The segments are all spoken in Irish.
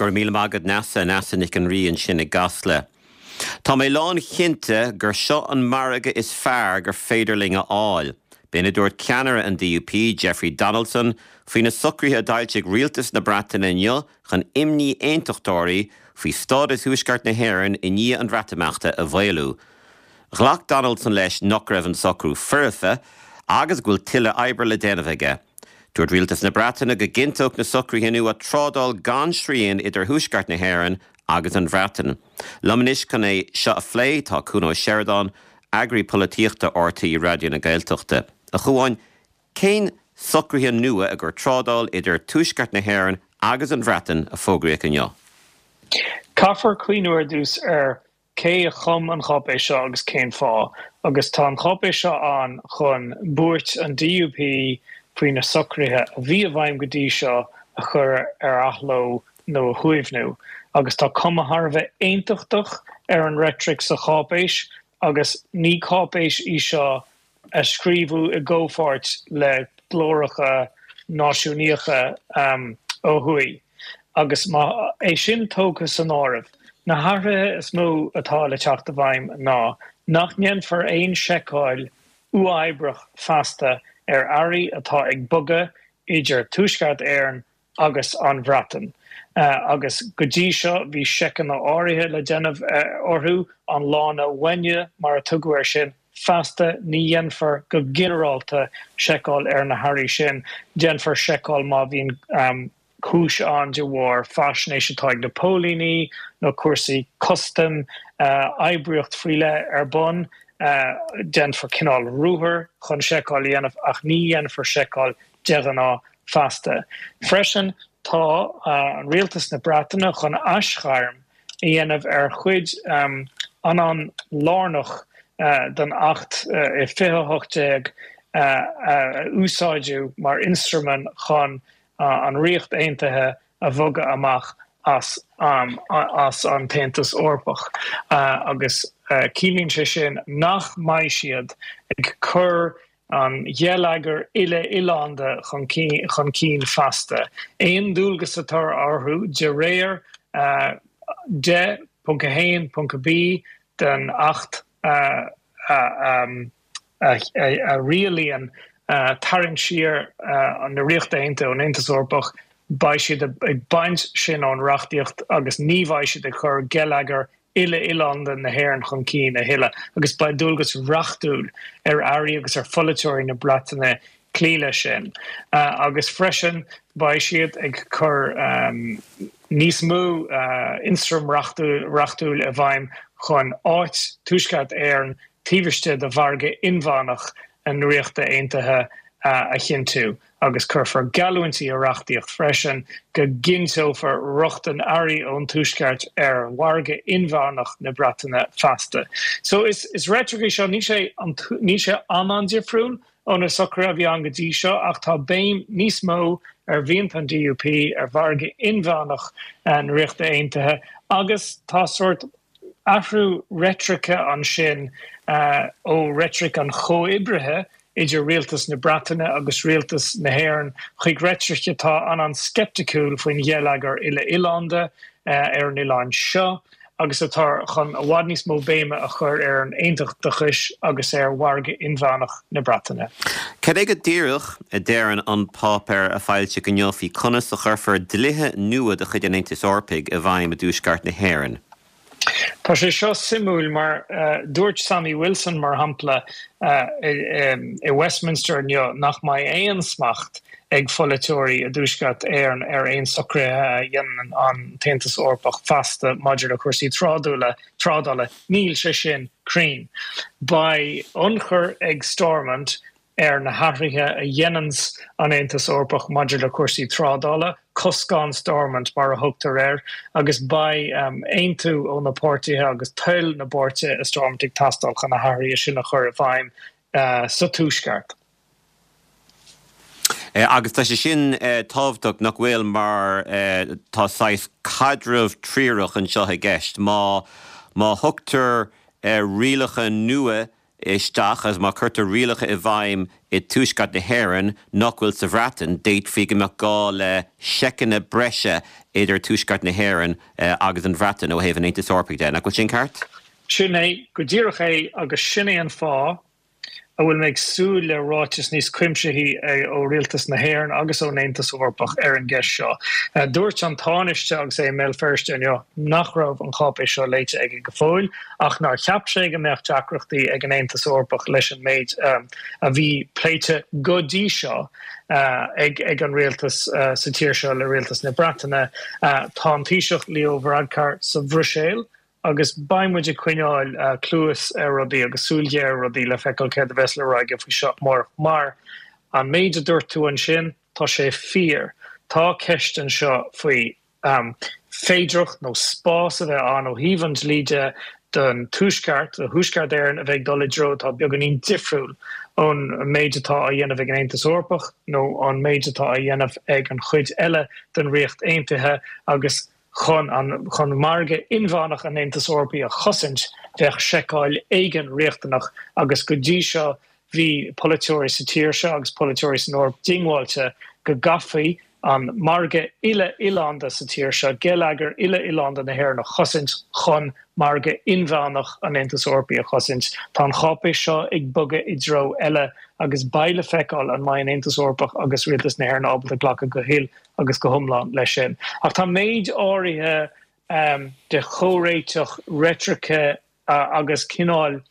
Go raibh míle maith agat Neasa, Neasa Nic an Rí ansin i gCasla. Tá mé lánchinnte gur seo an margadh is fearr gur féidir linn a fháil. B'in a dúirt ceannaire an DUP, Jeffrey Donaldson, faoi na socruithe a d'fhoilsigh rialtas na Breataine inniu chun imní aontachtóirí faoi stádas Thuaisceart na hÉireann i ndiaidh an Bhreatimeachta a mhaolú. Ghlac Donaldson leis nach raibh an socrú foirfe agus go bhfuil tuilleadh oibre le déanamh aige. Dúirt rialtas na Breataine go gcinnteodh na socruithe nua trádáil gan srian idir Thuaisceart na hÉireann agus an Bhreatain. Liom anois chun é seo a phlé tá Cuan Ó Seireadáin, Eagraí Polaitíochta RTÉ Raidió na Gaeltachta. A Chuáin, cén socruithe nua i gcomhair trádáil idir Tuaisceart na hÉireann agus an Bhreatain a fógraíodh inniu? Caithfear cuimhniú ar dtús ar cé a chum an cháipéis seo agus cén fáth, agus tá an cháipéis seo ann chun buairt an DUP faoi na socruithe a bhí i bhfeidhm go dtí seo a chur ar athló nó a shuaimhniú. Agus tá cuma thar a bheith aontachtach ar an reitric sa cháipéis agus ní cáipéis í seo a scríobhadh i gcomhpháirt le glóracha náisiúnaíocha ó thuaidh. Agus má é sin tógtha san áireamh, na hathruithe is mó atá le teacht i bhfeidhm ná nach ndéanfar aon seiceáil uathoibríoch feasta ar earraí atá ag bogadh idir Tuaisceart Éireann agus an Bhreatain. Agus go dtí seo bhí seiceanna áirithe le déanamh orthu, an lána bhainne mar a tugadh air sin. Feasta ní dhéanfar go ginearálta seiceáil ar na hearraí sin. Déanfar seiceáil má bhíonn cúis ann de bharr faisnéis atá ag na póilíní nó cúrsaí custaim, oibríocht faoi leith ar bun. Déanfar cineál ruathar chun seiceáil a dhéanamh ach ní dhéanfar seiceáil de ghnáth feasta. Freisin, tá an Rialtas na Breataine chun aisghairm a dhéanamh ar chuid an-an-lárnach den Acht 2018 a úsáideadh mar ionstraim chun an Ríocht Aontaithe a bhogadh amach as as an tAontas Eorpach agus ciallaíonn sé sin nach mbeidh siad ag cur an gheilleagair uile-oileánda chun cinn feasta. Aon dualgas atá orthu de réir 10.1.B den Acht a rialaíonn tarraingt siar na Ríochta Aontaithe ón Aontas Eorpach, beidh siad ag baint sin ón reachtaíocht agus ní bheidh siad ag cur geilleagar uile-oileánda na hÉireann chun cinn a thuilleadh agus beidh dualgas reachtúil ar airí agus ar pholaiteoirí na Breataine cloí leis sin. Agus freisin beidh siad ag cur níos mó ionstraim reachtúil i bhfeidhm chun áit Tuaisceart Éireann taobh istigh de mhargadh inmheánach na Ríochta Aontaithe a chinntiú. agus cuirfear geallúintí i reachtaíocht freisin go gcinnteofar rochtain earraí ón Tuaisceart ar mhargadh inmheánach na Breataine feasta. So is is reitric í seo, níl sé níl sé an-an-difriúil ó na socruithe a bhí ann go dtí seo ach tá béim níos mó ar mhianta an DUP ar mhargadh inmheánach na Ríochta Aontaithe agus tá sórt athrú reitrice ansin ó reitric an chomhoibrithe idir rialtas na Breataine agus rialtas na hÉireann chuig reitric atá an-an-sceipticiúil faoin gheilleagar uile-oileánda ar an oileán seo agus atá chun i bhfad níos mó béime a chur ar an aontachtachais agus ar mhargadh inmheánach na Breataine. Cad é go díreach a deireann an páipéar a foilsíodh inniu faoi conas a chuirfear dlíthe nua de chuid an Aontais Eorpaigh i bhfeidhm i dTuaisceart na hÉireann? Tá sé seo suimiúil mar dúirt Sammy Wilson, mar shampla, i Westminster inniu nach mbeidh aon smacht ag pholaiteoirí i dTuaisceart Éireann ar aon socruithe a dhéanann an tAontas Eorpach feasta maidir le cúrsaí trádála. Níl sé sin cruinn. Beidh ionchur ag Stormont ar na hathruithe a dhéananns an Aontas Eorpach maidir le cúrsaí trádála, coscán Stormont mar a thugtar air, agus beidh aontú ó na páirtithe agus toil na bpáirtithe i Stormont ag teastáil chun na hathruithe sin a chur i bhfeidhm sa Tuaisceart. Agus tá sé sin tábhachtach, nach bhfuil, mar tá saghas caidreamh triarach anseo i gceist. Má má thugtar rialacha nua. isteach agus má chuirtear rialacha i bhfeidhm i dTuaisceart na hÉireann nach bhfuil sa Bhreatain, d'fhéadfaí go mbeadh gá le seiceanna breise idir Tuaisceart na hÉireann agus an Bhreatain ó thaobh an Aontais Eorpaigh de. Nach bhfuil sin ceart? Sin é go díreach é agus sin é an fáth a bhfuil mé ag súil le ráiteas níos cuimsithí ó Rialtas na hÉireann agus ón Aontas Eorpach ar an gceist seo. Dúirt an Tánaiste agus é i mBéal Feirste inniu nach raibh an cháipéis seo léite aige go fóill ach nár cheap sé go mbeadh deacrachtaí ag an Aontas Eorpach leis an méid a bhí pléite go dtí seo ag an rialtas sa tír seo le rialtas na Breataine. Tá an Taoiseach Leo Varadkar sa Bhruiséil Agus beidh muid ag coinneáil cluas ar rudaí agus súil ghéar ar rudaí le feiceáil céard a bheas le rá aige faoi seo amárach. Mar an méid a dúirt tú ansin, tá sé fíor. Tá ceist anseo faoi féidearthacht nó spás a bheith ann ó thaobh an dlí de don Tuaisceart, do Thuaisceart Éireann a bheith ag dul i dtreo atá beagáinín difriúil ón méid atá á dhéanamh ag an Aontas Eorpach nó an méid atá á dhéanamh ag an chuid eile den Ríocht Aontaithe agus Chun an chun margadh inmheánach an Aontais Eorpaigh a chosaint, bheadh seiceáil éigin riachtanach agus go dtí seo bhí polaiteoirí sa tír seo agus polaiteoirí san Eoraip diongbháilte go gcaithfí an margadh uile-oileánda sa tír seo, geilleagar uile-oileánda na hÉireann a chosaint chun margadh inmheánach an Aontais Eorpaigh a chosaint. Tá an cháipéis seo ag bogadh i dtreo eile agus beidh le feiceáil an mbeidh an Aontas Eorpach agus Rialtas na hÉireann ábalta glacadh go huile agus go hiomlán leis sin. Ach tá méid áirithe de chomhréiteach reitrice agus cineál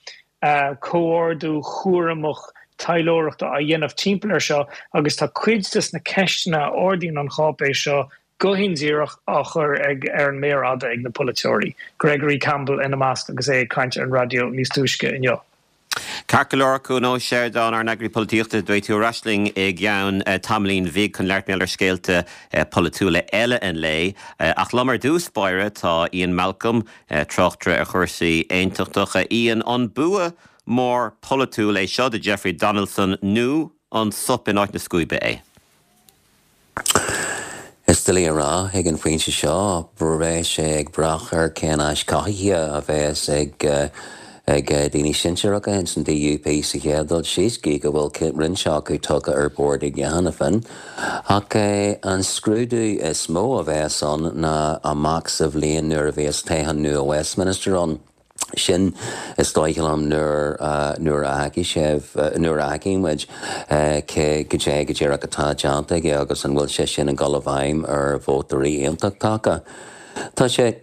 comhordú cúramach taidhleoireachta á dhéanamh timpeall air seo agus tá cuid de na ceisteanna a ardaíonn an cháipéis seo go hindíreach á chur ag ar an méar fhada ag na polaiteoirí, Gregory Campbell ina measc agus é ag caint ar an raidió níos túisce inniu. Ceart go leor, Cuan Ó Seireadáin, ár n-eagraí polaitíochta, beidh tú ar ais linn i gceann tamaillín bhig chun labhairt mar gheall ar scéalta polaitiúla eile an lae. Ach liom ar dtús báire tá Ian Malcolm, tráchtaire ar chúrsaí aontachtacha. Ian, an bua mór polaitiúil é seo do Jeffrey Donaldson nó an sop in áit na scuaibe é? Is doiligh a rá ag an phointe seo. Beidh sé ag brath ar cén ais cothaithe a bheas ag ag daoine sinsearacha ins an DUP sa chéad dul síos, gídh go bhfuil roinnt acu tugtha ar bord aige cheana féin. Ach an scrúdú is mó a bheas ann ná amach sa bhliain nuair a bheas toghchán nua Westminster ann. Sin, is dóigh liom, nuair, nuair a fheicfidh sibh, nuair a fheicfidh muid cé, goidé go díreach atá déanta aige agus an bhfuil sé sin ag dul i bhfeidhm ar vótóirí aontachtacha. Tá sé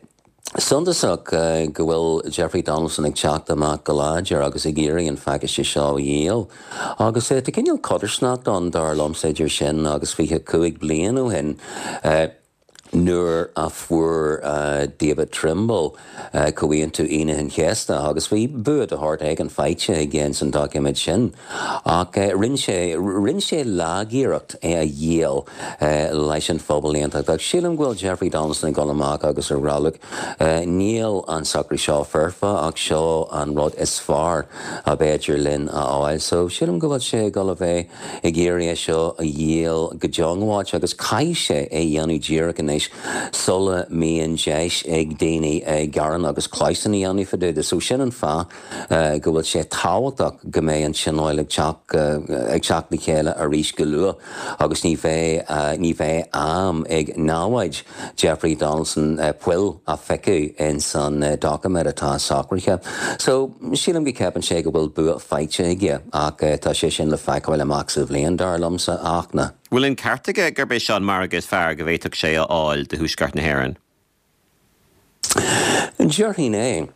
suntasach go bhfuil Jeffrey Donaldson ag teacht amach go láidir agus ag iarraidh an phacáiste seo a dhíol. Agus tá cineál codarsnacht ann, dar liomsa, idir sin agus 25 bliain ó shin. nuair a fuair David Trimble Comhaontú Aoine an Chéasta agus bhí bua de shórt éigin faighte aige ins an doiciméad sin ach rinne sé, rinne sé lagiarracht é a dhíol leis an phobal aontachtach. Sílim go bhfuil Jeffrey Donaldson ag dul amach agus ag rá look, níl an socrú seo foirfe ach seo an rud is fearr ab fhéidir linn a fháil. So sílim go bhfuil sé ag dul a bheith ag iarraidh é seo a dhíol go diongbháilte agus caithfidh sé é a dhéanamh díreach anois sula mbíonn deis ag daoine gearán agus clamhsán a dhéanamh fá dtaobh de. So sin an fáth go bhfuil sé tábhachtach go mbeidh an Tionól ag teacht ag teacht le chéile arís go luath agus ní bheidh ní bheidh am ag namhaid Jeffrey Donaldson poill a phiocadh ins an doiciméad atá socraithe. So, sílim go gceapann sé go bhfuil bua faighte aige ach tá sé sin le feiceáil amach sa bhliain, dar liomsa, a Fhachtna. Bhfuil an ceart aige gurb é seo an margadh is fearr go bhféadfadh sé a fháil do Thuaisceart na hÉireann? Déarfainn é.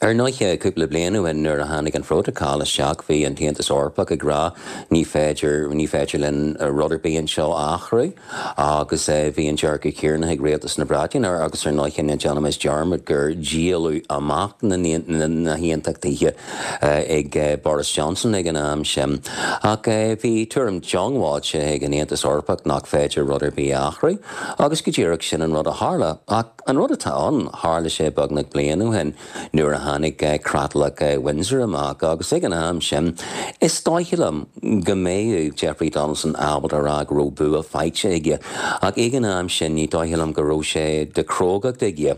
Ar ndóighe, cúpla bliain ó shin nuair a tháinig an Phrótacal isteach bhí an tAontas Eorpach ag rá ní féidir, ní féidir linn rud ar bith anseo a athrú agus bhí an dearcadh céanna ag Rialtas na Breataine agus ar ndóighe ná déanaimis dearmad gur díoladh amach na na hAontachtaithe ag Boris Johnson ag an am sin. Ach bhí tuairim diongbháilte ag an Aontas Eorpach nach féidir rud ar bith a athrú agus go díreach sin an rud a tharla. Ach. an rud atá ann, tharla sé beagnach bliain ó shin nuair a tháinig Creatlach Windsor amach agus ag an am sin is dóiche liom go mbeadh Jeffrey Donaldson ábalta a rá go raibh bua faighte aige ach ag an am sin ní dóiche liom go raibh sé de chrógacht aige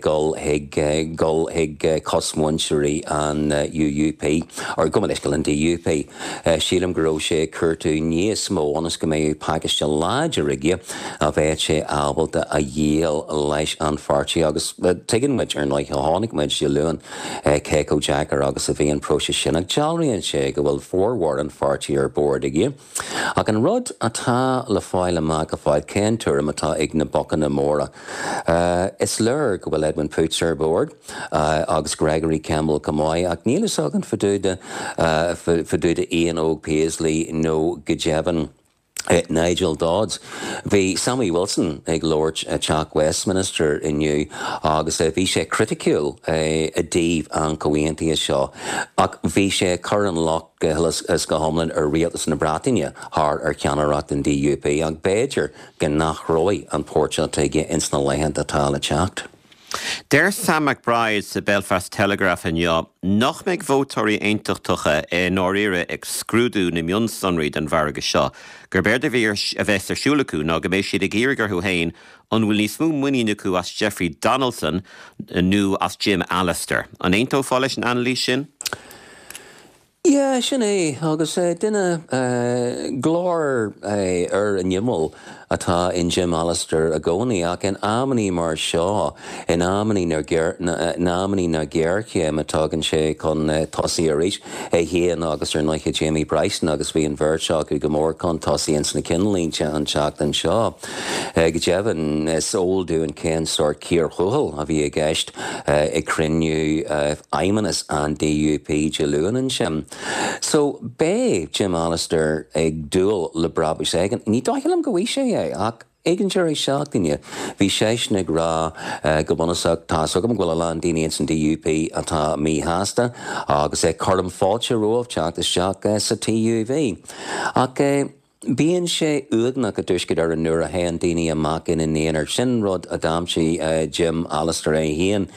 dul chuig dul chuig cosmhuintirí an UUP, or gabh mo leithscéal an DUP. Sílim go raibh sé ag cuartú níos mó ionas go mbeadh pacáiste láidir aige a bheadh sé ábalta a dhíol leis an pháirtí agus tuigeann muid, ar ndóigh, chonaic muid Dé Luain cé chomh deacair agus a bhí an próiseas sin ach dealraíonn sé go bhfuil formhór an pháirtí ar bord aige. Ach an rud atá le fáil amach go fóill, cén tuairim atá ag na bocanna móra? Is léir go bhfuil Edwin Poots ar bord, agus Gregory Campbell chomh maith, ach níl fhios againn fá dtaobh de Ian Óg Paisley nó go deimhin Nigel Dodds. Bhí Sammy Wilson ag labhairt i dTeach Westminster inniu agus bhí sé criticiúil i dtaobh an chomhaontaithe seo ach bhí sé ag cur an locht go huile is go hiomlán ar rialtas na Breataine thar ar cheannaireacht an DUP ach b'fhéidir go n-athróidh an port seo tuige ins na laethanta atá le teacht. Deir Sam McBride sa Belfast Telegraph inniu nach mbeidh vótóirí aontachtacha i ndáiríre ag scrúdú na mionsonraí den mhargadh seo, gurb éard a bheas ar siúl acu ná go mbeidh siad ag iarraidh orthu féin an bhfuil níos mó muinín acu as Jeffrey Donaldson nó as Jim Allister. An aontófá leis an anailís sin? Yeah, sin é, agus duine glár ar an imeall atá in Jim Allister i gcónaí, ach in amannaí mar seo, in amannaí na in amannaí na géarchéime, tagann sé chun tosaigh arís, é féin agus ar ndóighe Jamie Bryson, agus bhí an bheirt acu go mór chun tosaigh ins na cinnlínte an tseachtain seo. Go deimhin, is eol dúinn cén sórt cíor thuathail a bhí i gceist ag cruinniú Fheidhmeannas an DUP Dé Luain ansin. So, beidh Jim Allister ag dúil le brabús éigin. Ní dóigh liom go bhfaighidh sé é, ach ag an deireadh seachtaine, bhí seisean ag rá go bunúsach, tá's agam go bhfuil a lán daoine ins an DUP atá míshásta agus cuirim fáilte romhaibh teacht isteach sa TUV. Ach. Bíonn sé uaigneach i dTuaisceart Éireann nuair a théann daoine amach ina n-aonar. Sin rud a d'aimsigh Jim Allister é féin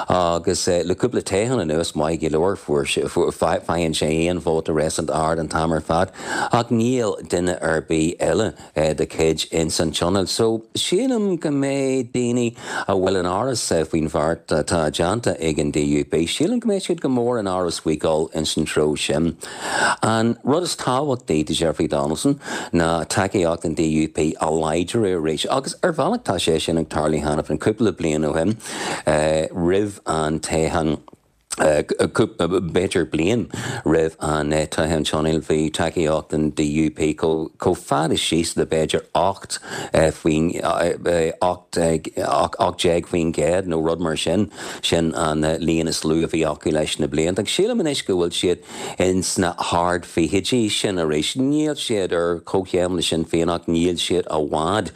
agus le cúpla toghchán anuas, maith go leor, fuair sé, faigheann sé féin vóta réasúnta ard an t-am ar fad ach níl duine ar bith eile dá chuid ins an tionól. So, sílim go mbeidh daoine a bhfuil in amhras faoin bheart atá déanta ag an DUP, sílim go mbeidh siad go mór in amhras faoi dhul ins an treo sin. An rud is tábhachtaí do Jeffrey Donaldson ná tacaíocht an DUP a láidriú arís agus ar bhealach tá sé sin ag tarlú cheana féin. Cúpla bliain ó shin, roimh an toghchán, b'fhéidir bliain roimh an toghchán tionóil, bhí tacaíocht an DUP chomh fada síos le b'fhéidir 18 faoin gcéad nó rud mar sin. Sin an líon is lú a bhí acu leis na blianta. Agus sílim anois go bhfuil siad ins na hard-fhichidí sin arís. Níl siad ar comhchéim le Sinn Féin ach níl siad i bhfad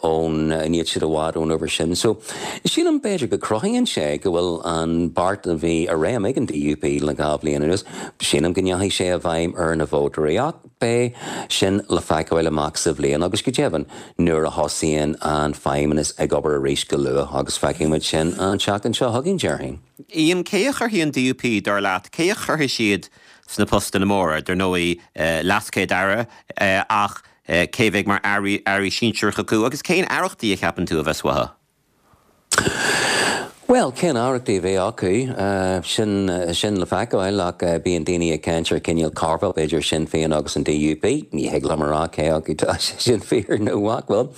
ón, níl siad i bhfad ón uimhir sin. So, sílim b'fhéidir go cruthaíonn sé go bhfuil an beart a bhí i réim ag an DUP le 2 bhliain anuas, sílim go ndeachaigh sé i bhfeidhm ar na vótóirí ach beidh sin le feiceáil amach sa bhliain agus go deimhin nuair a thosaíonn an Feidhmeannas ag obair arís go luath agus feicfidh muid sin an tseachtain seo chugainn, déarfainn. Ian, cé a chuirfidh an DUP, dar leat, cé a chuirfidh siad sna postanna móra? Dar ndóigh, LeasChéad-Aire, ach cé a bheidh mar airí sinsearacha acu agus cén aireachtaí a cheapann tú a bheas uathu? Bhuel, cén aireachtaí a bheidh acu, sin, sin le feiceáil, ach bíonn daoine ag caint ar chineál carveout idir Sinn Féin agus an DUP. Ní thig liom a rá cé acu tá sé sin fíor nó nach bhfuil.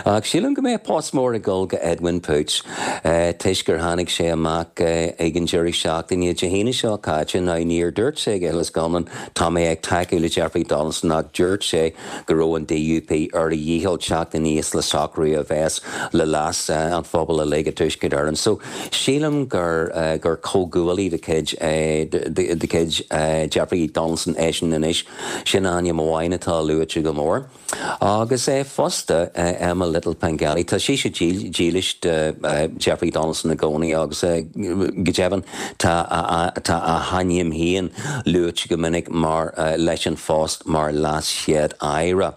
Ach sílim go mbeidh post mór ag dul go Edwin Poots, toisc gur tháinig sé amach ag an deireadh seachtaine, Dé hAoine seo caite. Now, níor dúirt sé go huile is go hiomlán, tá mé ag tacú le Jeffrey Donaldson, ach dúirt sé, go raibh an DUP ar a dhícheall teacht aníos le socrú a bheas le leas an phobail uilig i dTuaisceart Éireann. So, sílim gur gur comhghuaillí de chuid de chuid Jeffrey Donaldson eisean anois. Sin ainm amháin atá luaite go mór. Agus fosta Emma Little-Pengelly, tá sise dílis do Jeffrey Donaldson i gcónaí agus go deimhin tá a hainm féin luaite go minic mar leis an phost mar LeasChéad-Aire.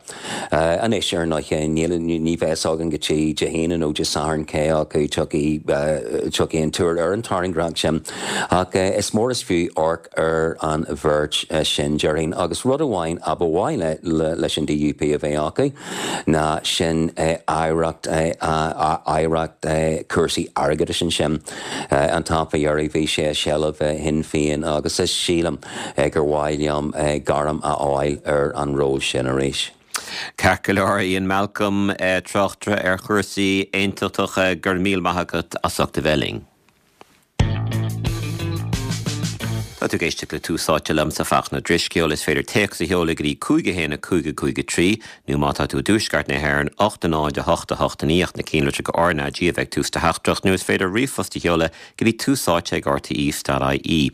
Anois, ar ndóigh, ní bheidh fhios againn go dtí Dé hAoine nó Dé Sathairn cé acu tiocfaidh an tuar ar an tairngreacht sin, ach is mór is fiú amharc ar an bheirt sin, déarfainn. Agus rud amháin a ba mhaith leis an DUP a bheith acu ná sin aireacht, aireacht cúrsaí airgeadais ansin. An t-am fá dheireadh bhí sé i seilbh Shinn Féin agus is sílim gur mhaith liom gairm a fháil ar an ról sin arís. Ceart go leor, Ian Malcolm, tráchtaire ar chúrsaí aontachtacha, go raibh míle maith agat as ucht a bheith linn. Tá tú ag éisteacht le Tús Áite liomsa, Fachtna Drisceoil. Is féidir téacs a sheoladh go dtí 5 1 5 5 3 nó má tá tú i dtuaisceart na hÉireann, 8 0 8 8 9 ach na cinnlitreacha RnaG a bheith ag tús do theachtaireacht nó is féidir ríomhphost a sheoladh go dtí túsáite ag rte.ie.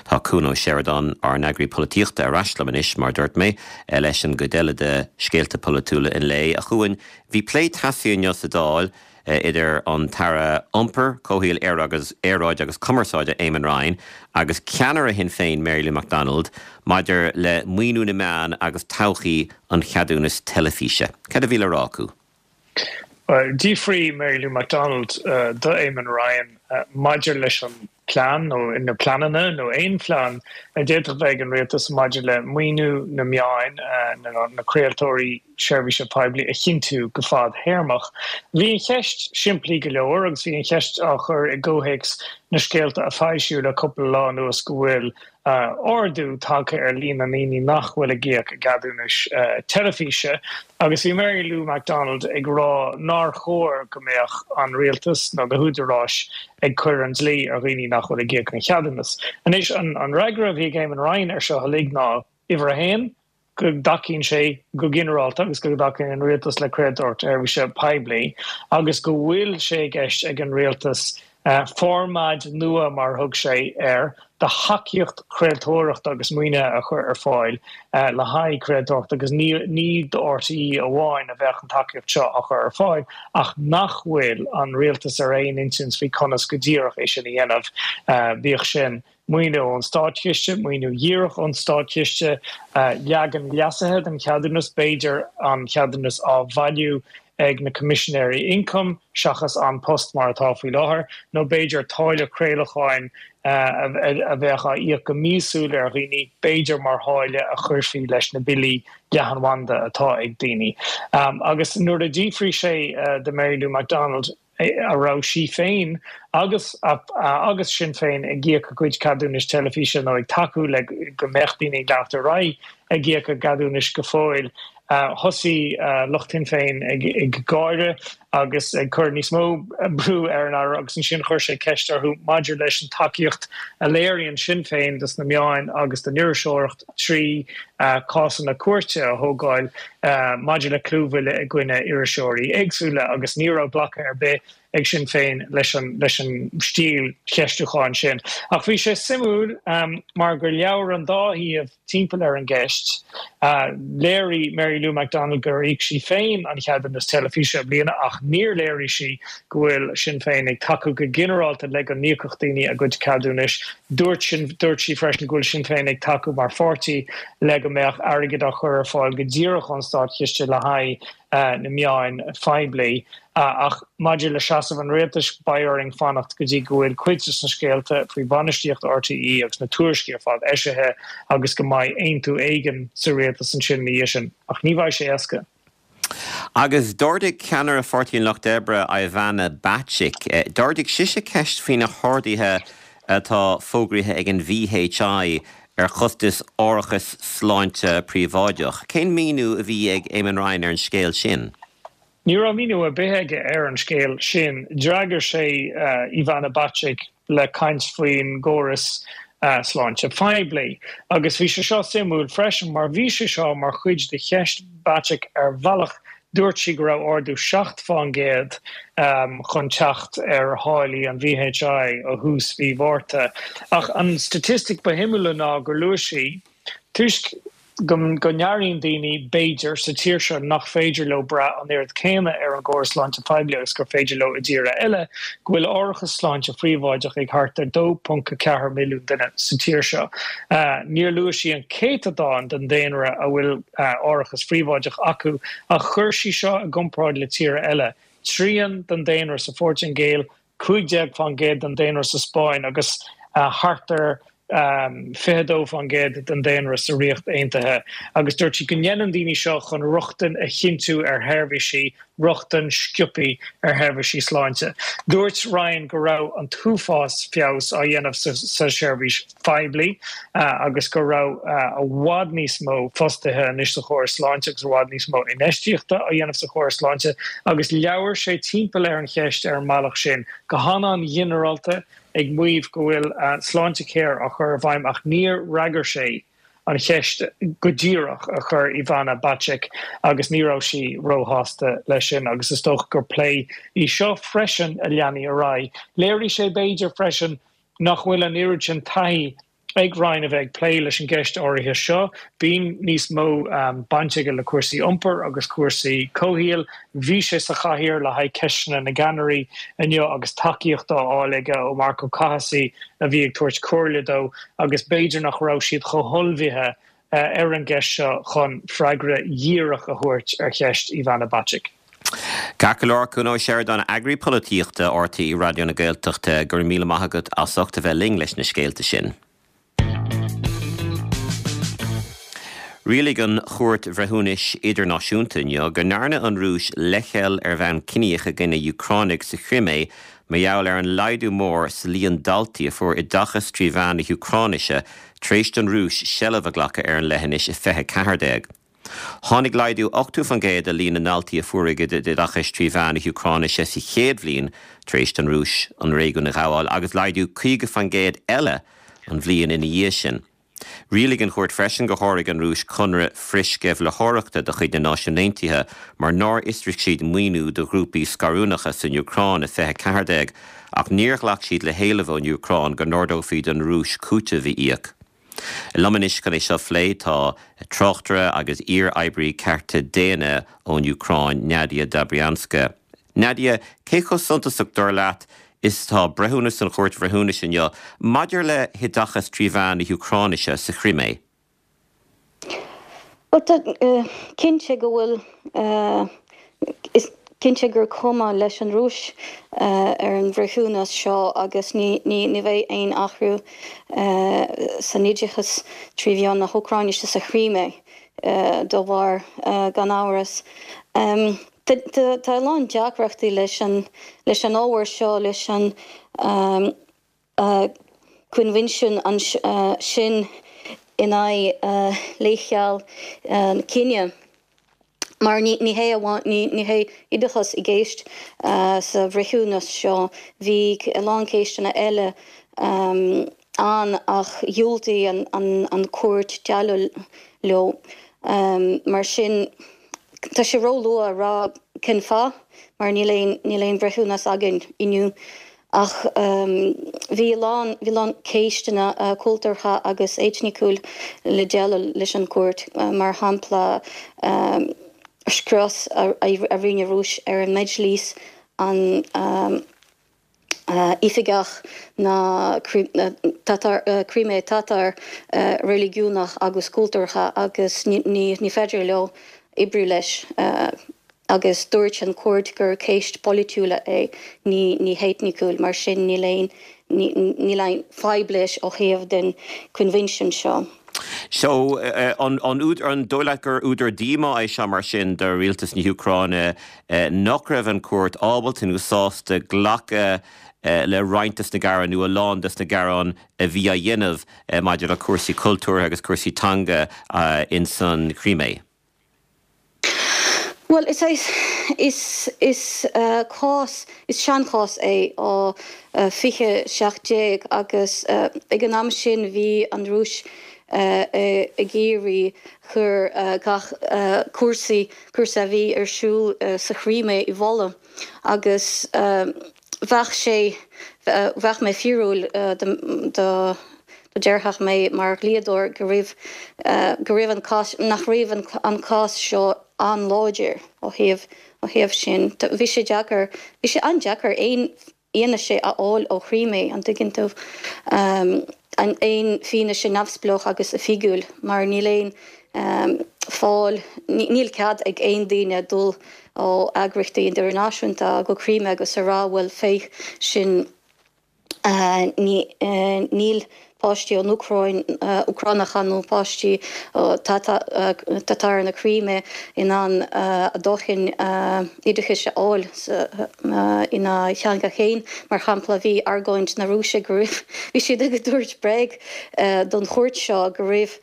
Tá Cuan Ó Seireadáin, ár n-eagraí polaitíochta, ar ais liom anois, mar a dúirt mé, leis an gcuid eile de scéalta polaitiúla an lae. A Chuain, bhí plé teasaí inniu sa Dáil, idir an tAire Iompair, Comhshaoil, Aeráide agus Cumarsáide Eamon Ryan agus ceannaire Shinn Féin Mary Lou McDonald maidir le maoiniú na meán agus todhchaí an cheadúnais teilifíse. Cad a bhí le rá acu? Bhuel, d'fhiafraigh Mary Lou McDonald do Eamon Ryan maidir leis an plean nó na pleananna nó aon phlean a d'fhéadfadh bheith ag an rialtas maidir le maoiniú na meáin, na craoltóirí seirbhíse poiblí a chinntiú go fadthéarmach. Bhí an cheist simplí go leor agus bhí an cheist á chur i gcomhthéacs na scéalta a foilsíodh le cúpla lá anuas go bhfuil ardú tagtha ar líon na ndaoine nach bhfuil ag íoc a gceadúnais teilifíse agus bhí Mary Lou McDonald ag rá nár chóir go mbeadh an rialtas nó na húdaráis ag cur an dlí ar dhaoine nach bhfuil ag íoc an cheadúnas. Anois, an fhreagra a bhí ag Eamon Ryan ar seo uilig ná, uimhir a haon, go dtacaíonn sé go ginearálta agus go dtacaíonn an rialtas le craoltóireacht sheirbhíse poiblí agus go bhfuil sé i gceist ag an rialtas formáid nua, mar a thug sé air, de thacaíocht chraoltóireachta agus maoinithe a chur ar fáil le haghaidh craoltóireachta agus ní do RTÉ amháin a bheadh an tacaíocht seo á chur ar fáil ach nach bhfuil an rialtas ar aon intinn faoi conas go díreach é sin a dhéanamh, bíodh sin. maoiniú ón státchiste, maoiniú dhíreach ón státchiste, leagan leasaithe den cheadúnas, b'fhéidir an cheadúnas á bhailiú ag na Coimisinéirí Ioncaim seachas An Post mar atá faoi láthair, nó b'fhéidir táille craolacháin a bheadh á íoc go míosúil ar dhaoine, b'fhéidir mar tháille a chuirfí leis na billí leathanbhanda atá ag daoine. Agus nuair a d'fhiafraigh sé de Mary Lou McDonald, a raibh sí féin agus agus Sinn Féin ag íoc a gcuid ceadúnais teilifíse nó ag tacú le go mbeadh daoine ag leanacht ar aghaidh ag íoc a gceadúnais go fóill. Thosaigh lucht Shinn Féin ag gáire agus ag cur níos mó brú ar an Aire agus ansin chuir sé ceist orthu maidir leis an tacaíocht a léiríonn Sinn Féin dos na meáin agus don iriseoireacht trí cásanna cúirte a thógáil maidir le clúmhilleadh i gcoinne iriseoirí éagsúla agus ní raibh glacadh ar bith ag Sinn Féin leis an leis an stíl cheistiúcháin sin. Ach bhí sé suimiúil mar gur labhair an dá thaobh timpeall ar an gceist. Léirigh Mary Lou McDonald gur íoc sí féin an cheadúnas teilifíse i mbliana ach níor léirigh sí go bhfuil Sinn Féin ag tacú go ginearálta le go n-íocfadh daoine a gcuid ceadúnais. Dúirt sin, dúirt sí freisin go bhfuil Sinn Féin ag tacú mar pháirtí le go mbeadh airgead á chur ar fáil go díreach ón státchiste le haghaidh na meáin phoiblí. Ach maidir le seasamh an rialtais, beidh orainn fanacht go dtí go bhfuil cuid de na scéalta faoi bhainistíocht RTÉ agus na tuairiscí ar fad eisithe agus go mbeidh aontú éigin sa rialtas ansin ina dhiaidh sin. Ach ní bheidh sé éasca. Agus d'ardaigh ceannaire Pháirtí an Lucht Oibre, Ivana Bacik, d'ardaigh sise ceist faoi na harduithe atá fógraithe ag an VHI ar chostas árachas sláinte príobháideach. Cén míniú a bhí ag Eamon Ryan ar an scéal sin? Ní raibh míniú ar bith aige ar an scéal sin. D'fhreagair sé Ivana Bacik le caint faoin gcóras sláinte phoiblí. Agus bhí sé seo suimiúil freisin mar bhí sé seo mar chuid de cheist Bacik ar bhealach. Dúirt sí go raibh ardú 7% chun teacht ar tháillí an VHI ó thús mhí Mhárta. Ach an staitistic ba shuimiúla ná gur luaigh sí, toisc. Go n-airíonn daoine, b'fhéidir, sa tír seo nach féidir leo brath an oiread céanna ar an gcóras sláinte poiblí agus gur féidir leo i dtíortha eile, go bhfuil árachas sláinte phríobháideach ag thart ar 2.4 milliún duine sa tír seo. Níor luaigh sí an céatadán den daonra a bhfuil árachas phríobháideach acu ach chuir sí seo i gcomparáid le tíortha eile, trian den daonra sa Phortaingéil, 15% den daonra sa Spáinn agus thart ar 22% den daonra sa Ríocht Aontaithe agus dúirt sí go ndéanann daoine seo chun rochtain a chinntiú ar sheirbhísí, rochtain sciobtha ar sheirbhísí sláinte. Dúirt Ryan go raibh an t-uafás feabhas á dhéanamh sa tseirbhís phoiblí agus go raibh i bhfad níos mó fostaithe anois sa chóras sláinte agus i bhfad níos mó infheistíochta á dhéanamh sa chóras sláinte agus labhair sé timpeall ar an cheist ar an mbealach sin, go han-an-ghinearálta, ag maíomh go bhfuil Sláintecare á chur i bhfeidhm ach níor fhreagair sé an cheist go díreach a chuir Ivana Bacik agus ní raibh sí róshásta leis sin agus is dócha gur plé í seo freisin a leanfaidh ar aghaidh. Léirigh sé b'fhéidir freisin nach bhfuil an oiread sin taithí ag Ryan a bheith ag plé leis an gceist áirithe seo. Bíonn níos mó baint aige le cúrsaí iompair agus cúrsaí comhshaoil. Bhí sé sa chathaoir le haghaidh ceisteanna na gceannairí inniu agus tacaíocht á fháil aige ó Marco Cathasaigh a bhí ag tabhairt comhairle dó agus b'fhéidir nach raibh siad chomh hullmhaithe ar an gceist seo chun freagra dhíreach a thabhairt ar cheist Ivana Bacik. Ceart go leor, Cuan Ó Seireadáin, Eagraí Polaitíochta RTÉ Raidió na Gaeltachta, go raibh míle maith agat as ucht a bheith linn leis na scéalta sin. Rialaigh an Chúirt Bhreithiúnais Idirnáisiúnta inniu go ndearna an Rúis leithcheal ar bhonn ciníoch i gcoinne Úcránaigh sa Chrimé mar gheall ar an laghdú mór sa líon daltaí a fuair oideachas trí mheán na hÚcráinise tar éis don Rúis seilbh a ghlacadh ar an leithinis i 2014. Tháinig laghdú 80% i líon na ndaltaí a fuair a gcuid oideachais trí mheán na hÚcráinise sa chéad bhliain tar éis don Rúis an réigiún a ghabháil agus laghdú 50% eile an bhliain ina dhiaidh sin. Rialaigh an chúirt freisin gur sháraigh an Rúis conradh frithsceimhlitheoireachta de chuid na Náisiún Aontaithe mar nár fhiosraigh siad maoiniú do ghrúpaí scarúnacha san Úcráin i 2014 ach níor ghlac siad le héileamh ón Úcráin go n-ordófaí don Rúis cúiteamh a íoc. Liom anois chun é seo a phlé tá tráchtaire agus iar-oibrí cearta daonna ón Úcráin, Nadia Dobrianska. Nadia, cé chomh suntasach, dar leat, is atá breithiúnas an Chúirt Bhreithiúnais inniu maidir le hoideachas trí mheán na hÚcráinise sa Chrimé? Bhuel, tá cinnte go bhfuil, is cinnte gur cuma leis an Rúis ar an bhreithiúnas seo agus ní bheidh aon athrú san oideachas trí mheán na hÚcráinise sa Chrimé dá bharr, gan amhras. Tá a lán deacrachtaí leis an leis an ábhar seo, leis an coinbhinsiún sin in aghaidh leithcheal cine, mar ní hé amháin, ní hé oideachas i gceist sa bhreithiúnas seo, bhí a lán ceisteanna eile ann ach dhiúltaigh an chúirt déileáil leo. Mar sin, tá sé róluath a rá cén fáth, mar níl aon, níl aon bhreithiúnas againn inniu. Ach bhí a lán, bhí a lán ceisteanna cultúrtha agus eitniciúil le déileáil leis an gcúirt, mar shampla scrios a rinne Rúis ar an Mejlis, an. oifigeach na Crimea Tatar reiligiúnach agus cultúrtha agus ní féidir leo oibriú leis agus dúirt an chúirt gur ceist polaitiúla é, ní heitniciúil, mar sin níl aon níl aon fadhb leis ó thaobh den coinbhinsiún seo. So, an dóigh leat gur údar díomá é seo mar sin do rialtas na hÚcráine nach raibh an chúirt ábalta nó sásta glacadh le roinnt des na gearáin nó a lán des na gearáin a bhí á dhéanamh maidir le cúrsaí cultúrtha agus cúrsaí teanga ins an Chrimé? Bhuel, is é, is, is cás, is seanchás é ó 2017 agus ag an am sin bhí an Rúis ag iarraidh chur gach cúrsaí, cúrsa a bhí ar siúl sa Chrimé i bhfolach agus bheadh sé, bheadh mé fíorúil do. Déarfadh mé mar dhlíodóir go raibh go raibh an cás nach raibh an cás seo an-láidir ó thaobh ó thaobh sin. Bhí sé deacair bhí sé an-deacair aon fhianaise a fháil ó Chrímé, an dtuigeann tú? Aon fianaise neamhspleách agus oifigiúil mar níl aon fáil, níl cead ag aon duine dul ó eagraíochtaí idirnáisiúnta go Crímé agus a rá bhuel féach sin Níl páistí ón Úcráin, Úcránacha nó páistí Tatar na Críme in ann a dóthain oideachais a fháil ina theanga féin. Mar shampla, bhí argóint na Rúise go raibh, bhí siad ag tabhairt bréag don chúirt seo go raibh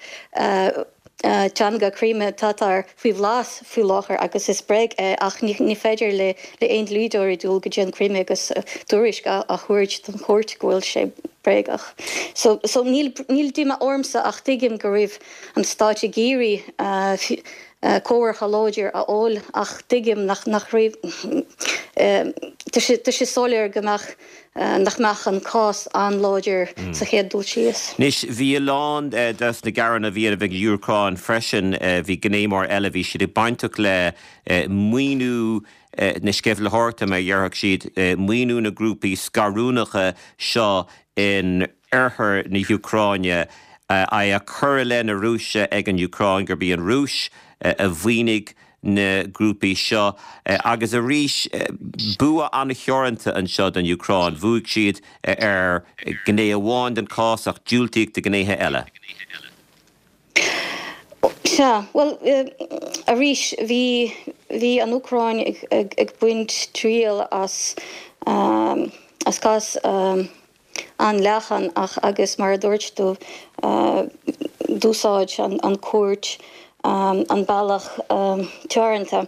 teanga Crimea Tatar faoi bhlas faoi láthair agus is bréag é ach ní féidir le aon dlíodóirí dul go dtí an Crimea agus tuairisc a thabhairt don chúirt go bhfuil sé bréagach. So so níl níl díomá ormsa ach tuigim go raibh an stáit ag iarraidh comhartha láidir a fháil ach tuigim nach nach raibh tá sé tá sé soiléir go mbeadh nach mbeadh an cás an-láidir sa chéad dul síos. Anois, bhí a lán des na gearáin a bhí ag an Úcráin freisin, bhí gné mór eile, bhí siad ag bainteach le maoiniú na sceimhlitheoireachta, mar a déarfadh siad, maoiniú na grúpaí scarúnacha seo in oirthear na hÚcráine, é á cur i leith na Rúise ag an Úcráin gurb í an Rúis a mhaoinigh na grúpaí seo. Agus arís, bua an-theoranta anseo don Úcráin. Bhuaigh siad ar ghné amháin den chás ach diúltaíodh do ghnéithe eile. Sea, bhuel, arís, bhí, bhí an Úcráin ag baint triail as, as cás an-leathan ach agus mar a dúirt tú d'úsáid an chúirt an bealach teoranta.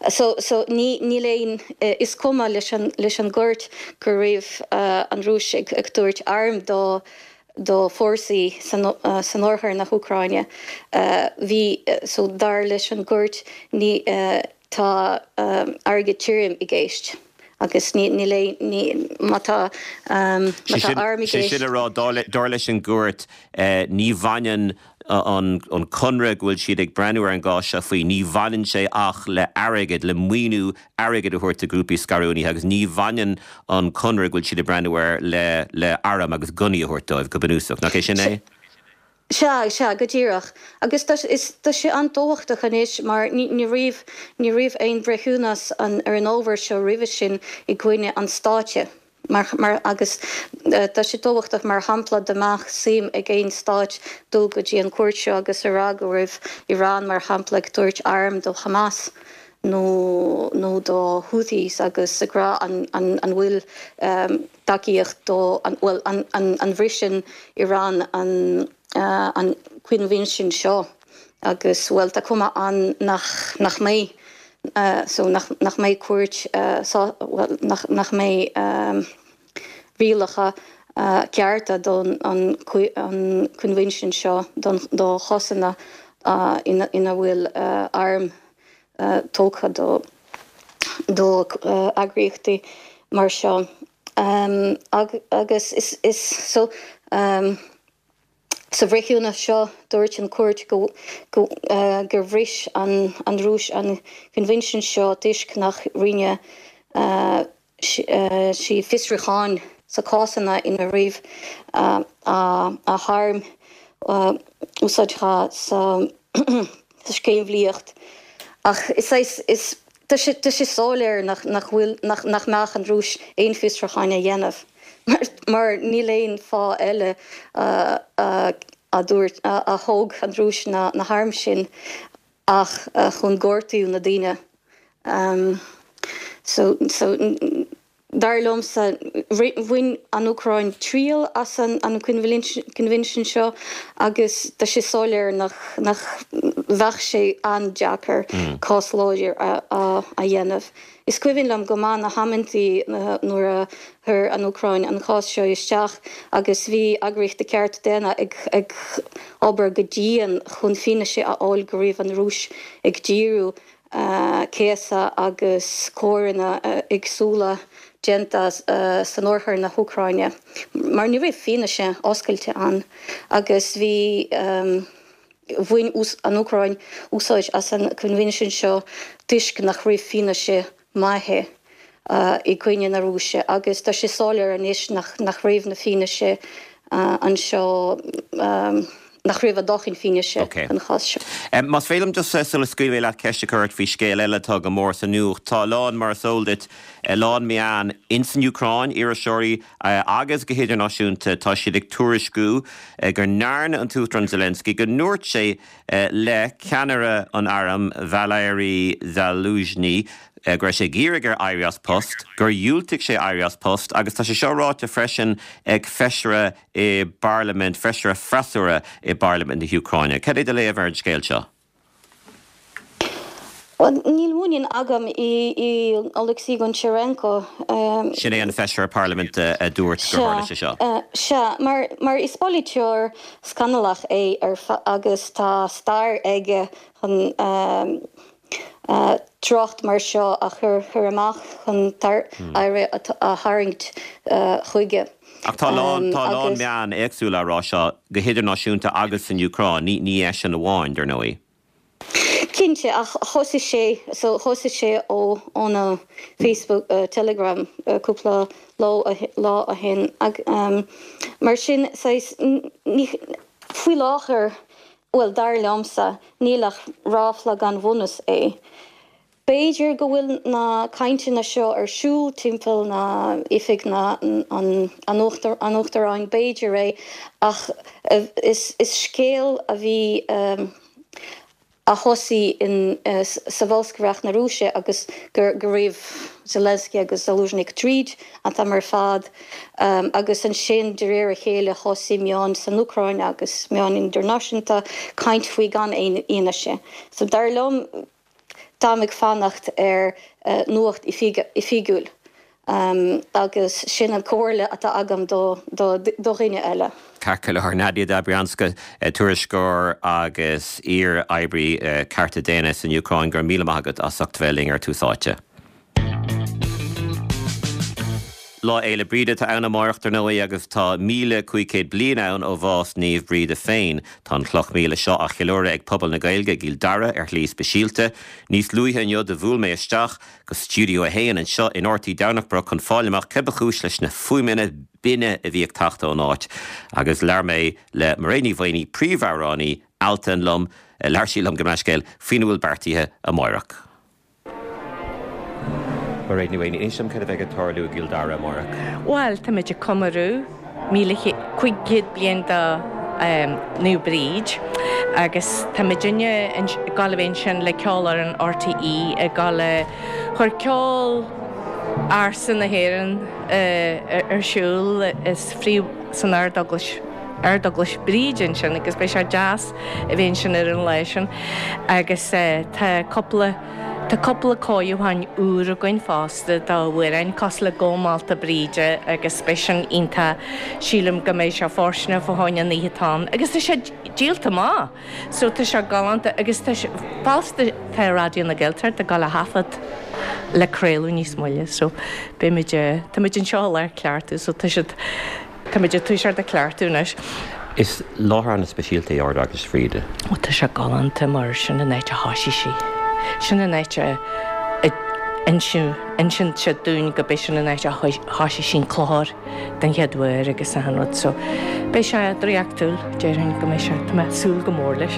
So so ní níl aon is cuma leis an leis an gcúirt go raibh an Rúis ag ag tabhairt airm do do fórsaí san san oirthear na hÚcráine. Bhí so dar leis an gcúirt ní Tá airgead tirim i gceist agus níl aon, ní, má tá, má tá arm i gceist. Sé sin le rá, dar leis an gcúirt, ní bhaineann an conradh go bhfuil siad ag breathnú ar an gcás seo faoi, ní bhaineann sé ach le airgead, le maoiniú airgid a thabhairt do ghrúpaí scarúnaithe agus ní bhaineann an conradh go bhfuil siad ag breathnú air le le airm agus gunnaí a thabhairt dóibh, go bunúsach. Nach é sin é? Sea, sea, go díreach. Agus tá, is, tá sé an-tábhachtach anois mar ní, ní raibh, ní raibh aon bhreithiúnas an, ar an ábhar seo roimhe sin i gcoinne an stáit. Mar, mar, agus tá sé tábhachtach mar shampla dá mbeadh suim ag aon stáit dul go dtí an cúirt seo agus a rá go raibh Iran mar shampla ag tabhairt arm do Hamas nó, nó do Houthis agus ag rá an, an, an bhfuil tacaíocht do, bhuel, an bhriseann Iran an an coinbhinsiún seo agus, bhuel, tá cuma ann nach nach mbeidh so nach nach mbeidh cúirt bhuel, nach nach mbeidh rialacha cearta don an an coinbhinsiún seo don do chásanna ina ina bhfuil airm tugtha do do eagraíochtaí mar seo agus is is so sa bhreithiúnas seo dúirt an chúirt go go gur bhris an an Rúis an coinbhinsiún seo toisc nach rinne sí fiosrúcháin sa cásanna ina raibh a hairm úsáidte sa sceimhlíocht. Ach is is tá sé tá sé soiléir nach nach bhfuil nach nach mbeadh an Rúis aon fiosrúcháin a dhéanamh mar mar níl aon fáth eile a a dúirt a thóg an Rúis na na hairm sin ach chun gortú na daoine. So, so, dar liomsa, bhain an Úcráin triail as an coinbhinsiún seo agus tá sé soiléir nach, nach bheadh sé an-deacair cás láidir a, a dhéanamh. Is cuimhin liom go maith na hamantaí nuair a chuir an Úcráin an cás seo isteach agus bhí eagraíochtaí cearta daonna ag ag obair go dian chun fianaise a fháil go raibh an Rúis ag díriú. Céasadh agus coireanna éagsúla déanta san oirthear na hÚcráine mar ní raibh fianaise oscailte ann agus bhí bhain an Úcráin úsáid as an coinbhinsiún seo toisc nach raibh fianaise maithe i gcoinne na Rúise agus tá sé soiléir anois nach raibh na fianaise anseo, nach raibh a dóthain fianaise don chás seo. Más féidir liom just sula scaoilfidh mé leat ceist a chur ort faoi scéal eile atá go mór sa nuacht. Tá a lán, mar is eol duit, a lán meán ins an Úcráin, iriseoirí agus go hidirnáisiúnta, tá siad ag tuairisciú go ndearna an tUachtarán Zelensky, go ndúirt sé le ceannaire an airm, Valery Zaluzhny, go raibh sé ag iarraidh air éirí as post, gur dhiúltaigh sé éirí as post agus tá sé seo ráite freisin ag feisire i bparlaimint, feisire freasúra i bparlaimint na hÚcráine. Cad é do léamh ar an scéal seo? Bhuel, níl muinín agam i Oleksiy Goncharenko. Sin é an feisire parlaiminte a dúirt gur tharla sé seo. Sea, mar is polaiteoir scannalach é agus tá stair aige chun trácht mar seo a chur amach chun aire a tharraingt chuige. Ach tá a lán, tá a lán meán éagsúla á rá seo, go hidirnáisiúnta agus san Úcráin, ní, ní eisean amháin, dar ndóigh. Cinnte, ach thosaigh sé, so thosaigh sé ó, óna Facebook, Telegram cúpla lá, lá ó shin. Mar sin, saghas, ní, faoi láthair, bhuel, dar liomsa, níl ach ráfla gan bhunús é. B'fhéidir go bhfuil na cainteanna seo ar siúl timpeall na oifig na an Uachtaráin, b'fhéidir é, ach is scéal a bhí a thosaigh in sa bholscaireacht na Rúise agus go raibh Zelensky agus Zaluzhny ag troid an t-am ar fad agus ansin de réir a chéile thosaigh meáin san Úcráin agus meáin idirnáisiúnta caint faoi gan aon fhianaise. So dar liom Táim ag fanacht ar nuacht oifigiúil agus sin an comhairle atá agam do dhuine eile. Ceart go leor. Nadia Dobrianska, tuairisceoir agus iar-oibrí cearta daonna san Úcráin, go raibh míle maith agat as ucht bheith linn ar Tús Áite. Lá Fhéile Bríde atá ann amáireach, dar ndóigh, agus tá 1,500 bliain ann ó bhás Naomh Bríde féin. Tá an chloch míle seo á cheiliúradh ag pobal na Gaeilge i gCill Dara ar shlí speisialta. Níos luaithe inniu do bhuail mé isteach go Stiúideo 1 anseo in RTÉ Domhnach Broc chun fáil amach cé ba chúis leis na fuaimeanna binne a bhí ag teacht ón áit agus labhair mé le Mairéad Ní Mhaonaigh, príomhamhránaí Altan liom, labhair sí liom gabh mo leithscéal, faoina bhfuil beartaithe amáireach. Mairéad Ní Mhaonaigh, inis dom cad a bheidh ag tarlú i gCill Dara amárach? Bhuel, táimid ag comóradh 1500 bliain do Naomh Bríd agus tá muidinne ag gabháil a bheith ansin le Ceolfhoireann RTÉ ag gabháil a chur ceol ársa na hÉireann ar siúl is phríomh san Ardeaglais Ardeaglais Bríde ansin agus beidh sé deas a bheith ansin ar an lá sin agus tá cúpla tá cúpla cóiriúchán úr againn fosta d'amhráin cosúil le Go Meallta Bríde agus beidh sin iontach sílim go mbeidh sé fóirsteanach fá choinne an oíche atá ann agus tá sé díolta amach so tá sé galánta agus tá sé fosta tá Raidió na Gaeltachta ag gabháil a thaifead le craoladh níos moille so beimid táimid anseo i lár cleachtadh so tá siad Táimid ag toiseacht ag cleachtadh anois. Is láthair an-speisialta é Ard-Eaglais Bhríde. Ó tá sé galánta mar sin an áit a thoisigh sí. Sin an áit a insíonn siad dúinn go b'é sin an áit a thoisigh sí an clochar den chéad uair agus achan rud so beidh sé draíochtúil déarfainn go mbeidh sé, tá mé ag súil go mór leis.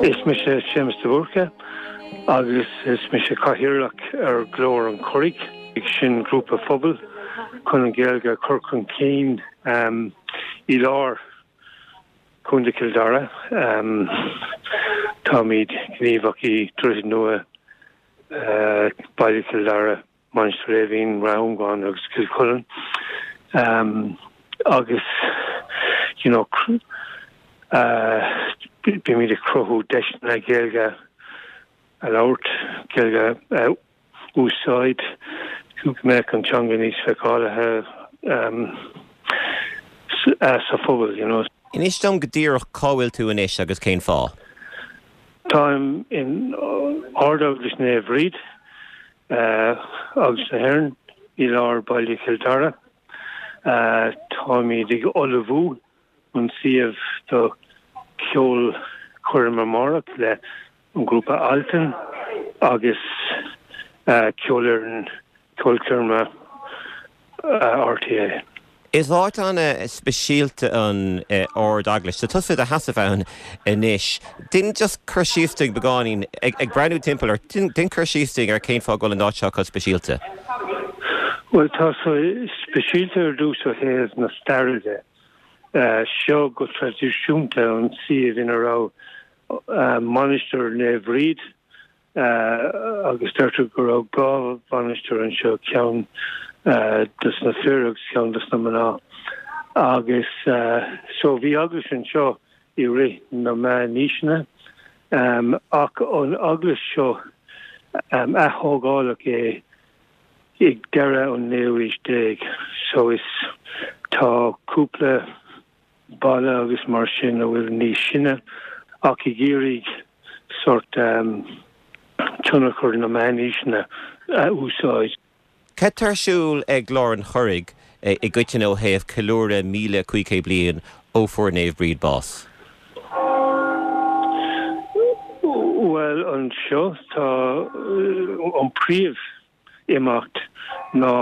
Is mise Séamus de Búrca agus is mise Cathaoirleach ar Ghlór an Churraigh, sin grúpa phobail. chun an Ghaeilge a chur chun cinn i lár Chontae Chill Dara. Táimid gníomhach i Droichead Nua, Baile Chill Dara, Mainistir Eimhín, Ráth Longáin agus Cill Chuilinn agus you know bímid ag cruthú deiseanna Gaeilge a labhairt, Gaeilge a úsáid, go mbeadh an teanga níos feiceálaithe sa phobal you know. Inis dom go díreach cá bhfuil tú anois agus cén fáth? Táim in Ard-Eaglais Naomh Bríd, Eaglais na hÉireann, i lár baile Chill Dara. Táimid ag ullmhú an suíomh do cheolchoirm amárach le an grúpa Altan agus ceolfhoireann ceolchoirme RTÉ. Is áit an-speisialta an Ard-Eaglais. Tá tusa i do sheasamh ann anois. Déan just cur síos dúinn beagáinín, ag breathnú timpeall ort, déan cur síos dúinn ar cén fáth go bhfuil an áit seo chomh speisialta. Bhuel, tá sé speisialta ar dtús ó thaobh na staire de. Seo go traidisiúnta an suíomh ina raibh Mainistir Naomh Bríd agus deirtear go raibh 2 mhainistir anseo, ceann dos na fir agus ceann dos na mná. Agus so bhí eaglais anseo i rith na meánaoiseanna ach an eaglais seo ath-thógáladh é ag deireadh an naoú aois déag so is tá cúpla balla agus mar sin a bhfuil níos sine ach ag iarraidh sórt tionchar na meánaoiseanna a úsáid. Cad tá ar siúl ag Glór an Churraigh i gcoitinne ó thaobh ceiliúradh 1500 bliain ó fuair Naomh Bríd bás? Bhuel anseo tá an príomh imeacht ná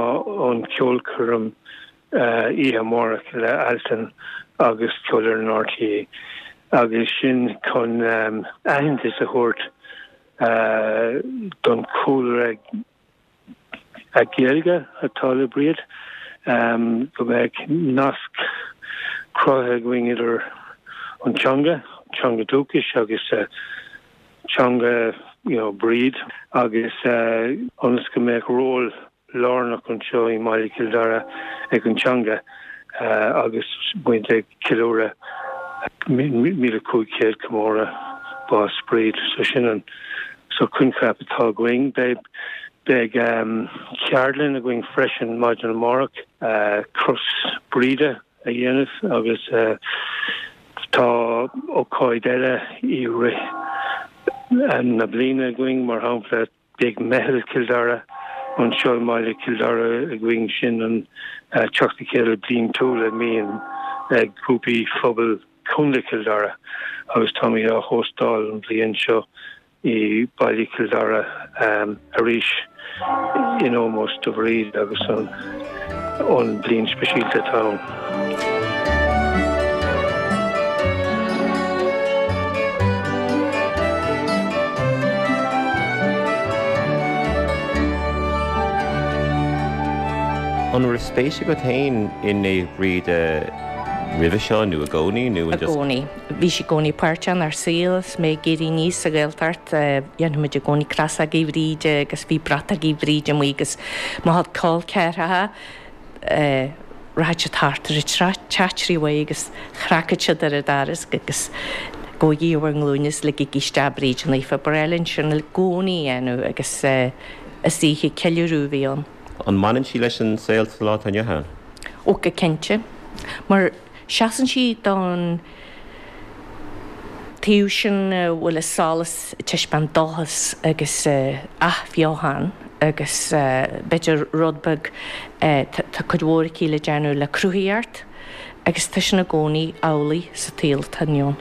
an ceolchoirm oíche amárach le Altan agus Ceolfhoireann RTÉ agus sin chun aitheantas a thabhairt don chúlra Gaeilge atá le Bríd, go mbeadh nasc cruthaithe againn idir an teanga, teanga dúchais agus teanga you know Bríd agus ionas go mbeadh ról lárnach anseo i mbaile Chill Dara ag an teanga agus muid ag ceiliúradh 1500 comóradh bás Bríd. So sin an sórt coincheap atá againn. Beidh beidh ceardlann againn freisin maidin amárach, cros Bríde a dhéanamh agus tá ócáid eile i rith na bliana againn, mar shampla beidh Meitheal Chill Dara anseo i mbaile Chill Dara againn, sin an teacht le chéile bliantúil a mbíonn ag grúpaí phobail Chontae Chill Dara agus táimid á hóstáil an bhliain seo. i Baile Chill Dara arís in ómós do Bhríd agus an bhliain speisialta atá ann. An raibh spéis agat féin i Naomh Bríd roimhe seo nó i gcónaí nó an just. I gcónaí. Bhí sí i gcónaí páirteach inár saol is mé ag éirí aníos sa Ghaeltacht. Dhéanfadh muid i gcónaí crosógaí Bhríde agus bhí bratachaí Bhríde amuigh agus mo chuid col ceathracha rachadh siad thart ar an teach uaidh agus chnagfadh siad ar an doras agus gabhaigí ar bhur nglúine is ligigí isteach Bríd Naofa. Ba ghnách linn sin i gcónaí a dhéanamh agus is oíche ceiliúradh a bhí ann. An mbaineann sí leis an saol sa lá atá inniu ann? Ó go cinnte. Mar Seasann sí don taobh sin a bhfuil a solas ag taispeáint dóchas agus athbheochan agus b'fhéidir rud beag, tá cuid mhór aici le déanamh le cruthaíocht agus tá sin i gcónaí amhlaidh sa tsaol atá inniu ann.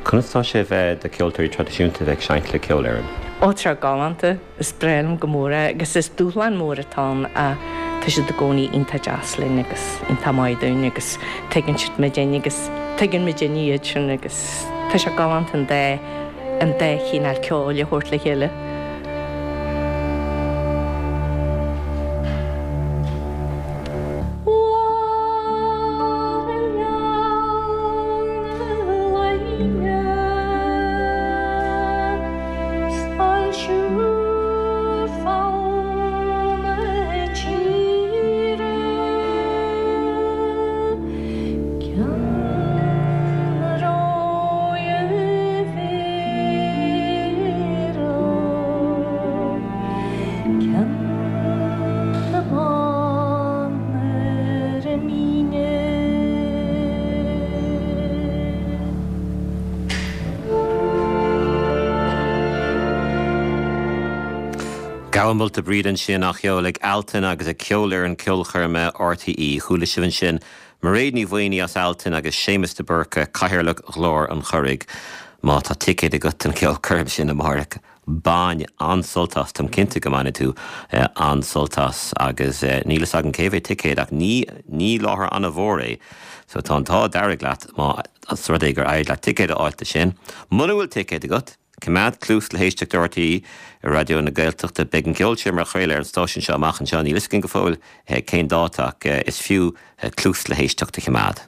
Conas tá sé a bheith do cheoltóirí traidisiúnta a bheith ag seinnt le ceolfhoireann? Ó tá sé galánta. Is breá liom go mór é agus is dúshlán mór atá ann ach tá siad i gcónaí iontach deas linn agus iontach maith dúinn agus tuigeann siad muidinne agus tuigeann muidinne iad sin agus tá sé galánta an dá an dá chineál ceoil a thabhairt le chéile. Gabha Molta Bríde ansin á cheol ag Altan agus ag Ceolfhoireann Ceolchoirme RTÉ. Chuala sibh ansin Mairéad Ní Mhaonaigh as Altan agus Séamus de Búrca, Cathaoirleach Ghlór an Churraigh. Má tá ticéad agat don cheolchoirm sin amárach, bain an-sult as, táim cinnte go mbainfidh tú an-sult as agus níl fhios agam cé mhéad ticéad ach ní ní láthair an-mhór é so tá an t-ádh dearg leat más rud é gur éirigh leat ticéad a fháilt do sin. Muna bhfuil ticéad agat, coimeád cluas le héisteacht do RTÉ Raidió na Gaeltachta. Beidh an ceol sin mar chraoladh ar an stáisiún seo amach anseo, níl fhios againn go fóill cén dáta ach is fiú cluas le héisteacht a choimeád.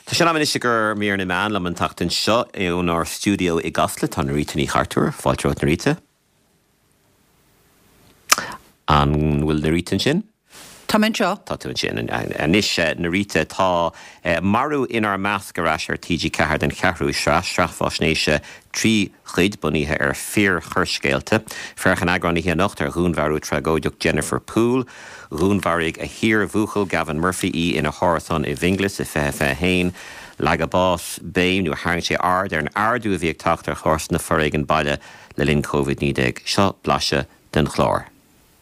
Tá sé in am anois i gcomhair mír na meán liom an tseachtain seo ónár stiúideo i gCasla. Tá Norita Ní Chartúir. Fáilte romhat Norita. An bhfuil Norita ansin? Tá mé anseo. Tá tú ansin. Anois, Norita, tá Marú Inár Measc ar ais ar TG4 den cheathrú sraith, sraith faisnéise 3 chuid bunaithe ar fíor-choirscéalta. Féachann eagrán oíche anocht ar dhúnmharú tragóideach Jennifer Poole. Dhúnmharaigh a hiar-bhuachaill Gavin Murphy í ina hárasán i bhFionnghlas i 2021. Leag a bás béim, nó tharraing sé aird ar an ardú a bhí ag teacht ar chásanna foréigean baile le linn Covid-19. Seo blaiseadh den chlár.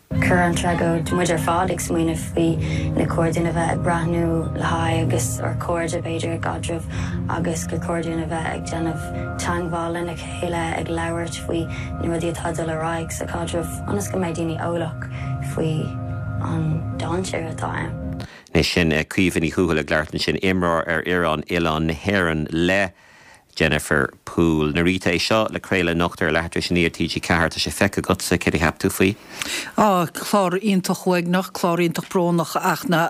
Chuir an tragóid muid ar fad ag smaoineamh faoi ar chóir dúinn a bheith ag breathnú le haghaidh agus ár cairde b'fhéidir i gcaidreamh agus gur chóir dúinn a bheith ag déanamh teagmháil lena chéile ag labhairt faoi na rudaí atá ag dul ar aghaidh sa chaidreamh ionas go mbeidh daoine eolach faoi an dainséar atá ann. Anois sin Caoimhe Ní Thuathail ag labhairt ansin, imreoir ar fhoireann Oileán na hÉireann le Jennifer Poole. Norita, é seo le craoladh anocht ar leathuair tar éis a 9 ar TG4. Tá sé feicthe agatsa, céard a cheap tú faoi? Á, clár iontach uaigneach, clár iontach brónach ach na,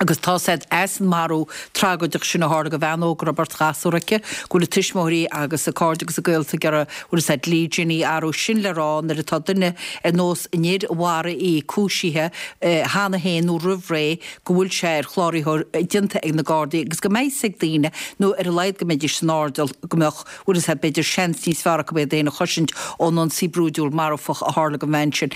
agus tá said as an marú tragóideach sin a tharla do bhean óg a raibh beirt ghasúr aici, go bhfuil a tuismitheoirí agus a cairde agus a gaolta ag iarraidh, bhfuil fhios a'd, dlí Ginny a athrú. Sin le rá nuair atá duine ar nós an fhir a mharaigh í cúisithe cheana féin nó roimh ré, go bhfuil sé ar chláraitheoir déanta ag na Gardaí agus go mbeidh 'fhios ag daoine, nó ar a laghad go mbeidís san airdeall, go mbeadh, bhfuil fhios a'd, b'fhéidir seans níos fearr acu iad fhéin a chosaint ón ionsaí brúidiúil marfach a tharla don bhean sin.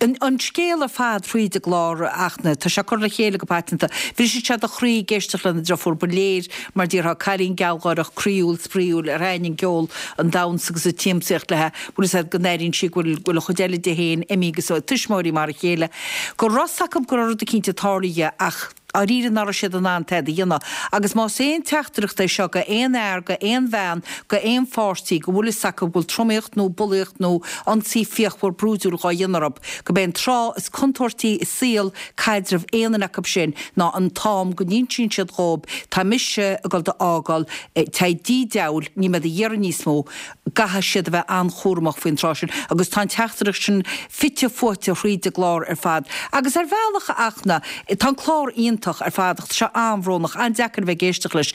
An scéal ar fad thríd an gclár ach na, tá sé curtha le chéile go paiteanta. Bhriseadh sé do chroí ag éisteacht lena driofúr, ba léir mar déarfá, cailín gealgháireach, croíúil, spraíúil, ar thaitin an ceol, an damhsa agus an tsiamsaíocht léi, bhfuil fhios a'd, go n-airíonn sí go bhfuil, go bhfuil an chuid eile di féin imithe agus a tuismitheoirí mar a chéile. Go raibh 'fhios acu go raibh rud eicínt ag tarlú ach dháiríre nach raibh siad in ann tada a dhéanamh. Agus más aon teachtaireacht é seo go aon fhear, go aon bhean, go aon pháirtí go bhfuil 'fhios acu go bhfuil tromaíocht nó bulaíocht nó ionsaí fíochmhar brúidiúil dhá dhéanamh orthu, go b'é an tráth is contúirtí i saol caidrimh aon duine acu sin ná an t-am go n-insíonn siad dhóib tá mise ag dul do fhágáil, téigh dtí diabhal, níl mé do iarraidh níos mó. gcaithfidh siad a bheith an-chúramach faoin tráth sin agus tá an teachtaireacht sin fite fuaite thríd an gclár ar fad. Agus ar bhealach, a Fhachtna, tá an clár iontach ar fad ach tá sé an-bhrónach, an-deacair a bheith ag éisteacht leis.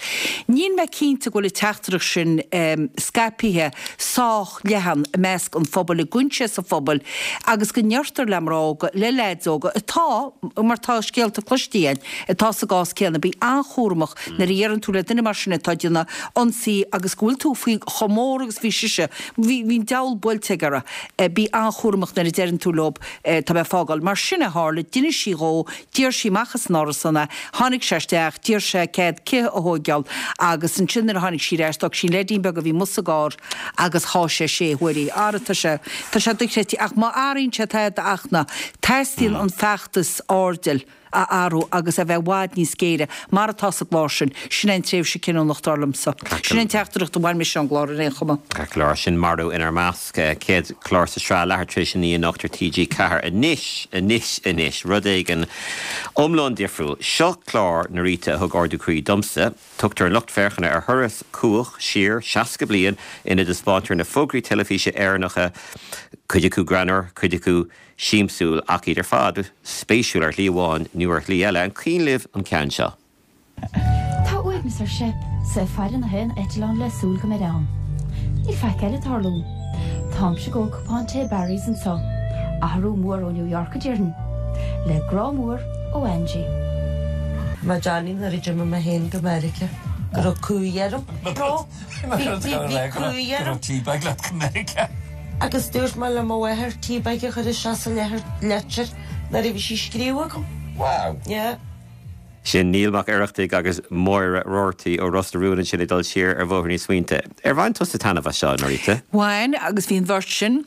Níl mé cinnte go bhfuil an teachtaireacht sin scaipthe sách leathan i measc an phobail, i gcoinsias an phobail agus go ndeirtear le mná óga, le leaids óga atá, mar tá scéalta cloiste againn, atá sa gcás céanna, bí an-chúramach Nuair a dheireann tú le duine mar sin atá ag déanamh ionsaí agus go bhfuil tú faoi chomh mór agus bhí sise, bhí, bhí an diabhal buailte aige uirthi. Bí an-chúramach nuair a deireann tú leob tá mé ag fágáil. Mar sin a tharla, d'inis sí dhó, d'iarr sí amach as an árasán é, tháinig sé isteach, d'iarr sé cead cith a thóigeáil agus ansin nuair a tháinig sí ar ais d'fhág sí an leidín beag a bhí amuigh sa gcarr agus sháigh sé sé huaire í. Ara tá sé, tá sé dochreidte ach má athraíonn sé tada a Fhachtna, teastaíonn an feachtas airdill. a athrú agus a bheith i bhfad níos géire, mar atá sa gclár sin. Sin é an tréimhse cinniúnach, dar liomsa. Sin é an teachtaireacht a bhain mise ón gclár ar aon chuma. Ceart go leor, sin Marú Inár Measc, céad clár sa sraith, leathuair tar éis a 9 anocht ar TG4. Anois, anois, anois, rud éigin iomlán difriúil. Seo clár, Norita, a thug ardú croí domsa. Tugtar an lucht féachana ar thuras cumhach siar 60 bliain ina dtaispeántar na fógraí teilifíse Éireannacha, cuid acu greannmhar, cuid acu siamsúil ach iad ar fad spéisiúil ar shlí amháin nó ar shlí eile. An cuimhin libh an ceann seo? Tá uaigneas ar Shep, 's é ag faire na haon eitleán le súil go mbeid ann. Níl faic eile ag tarlú. Táimse ag ól cupán tae Barry's anso. Athrú mór ó New York a déarfainn. Le grá mór ó Angie. Mé Johnny nuair a d'imigh mé féin go Meiriceá go raibh cumhaidh orm. Bhí cumhaidh orm. Teabag leat go Meiriceá. Agus dúirt mé le mo mháthair teabag a chur isteach sa leitir nuair a bhí sí ag scríobh agam. Wow. Yeah. Sin Niall Mac Oireachtaigh agus Máire Roarty ó Ros na Rún ansin ag dul siar ar bhóithríní na smaointe. Ar bhain tusa taitneamh as seo, Norita? Bhain, agus bhí an bheirt sin,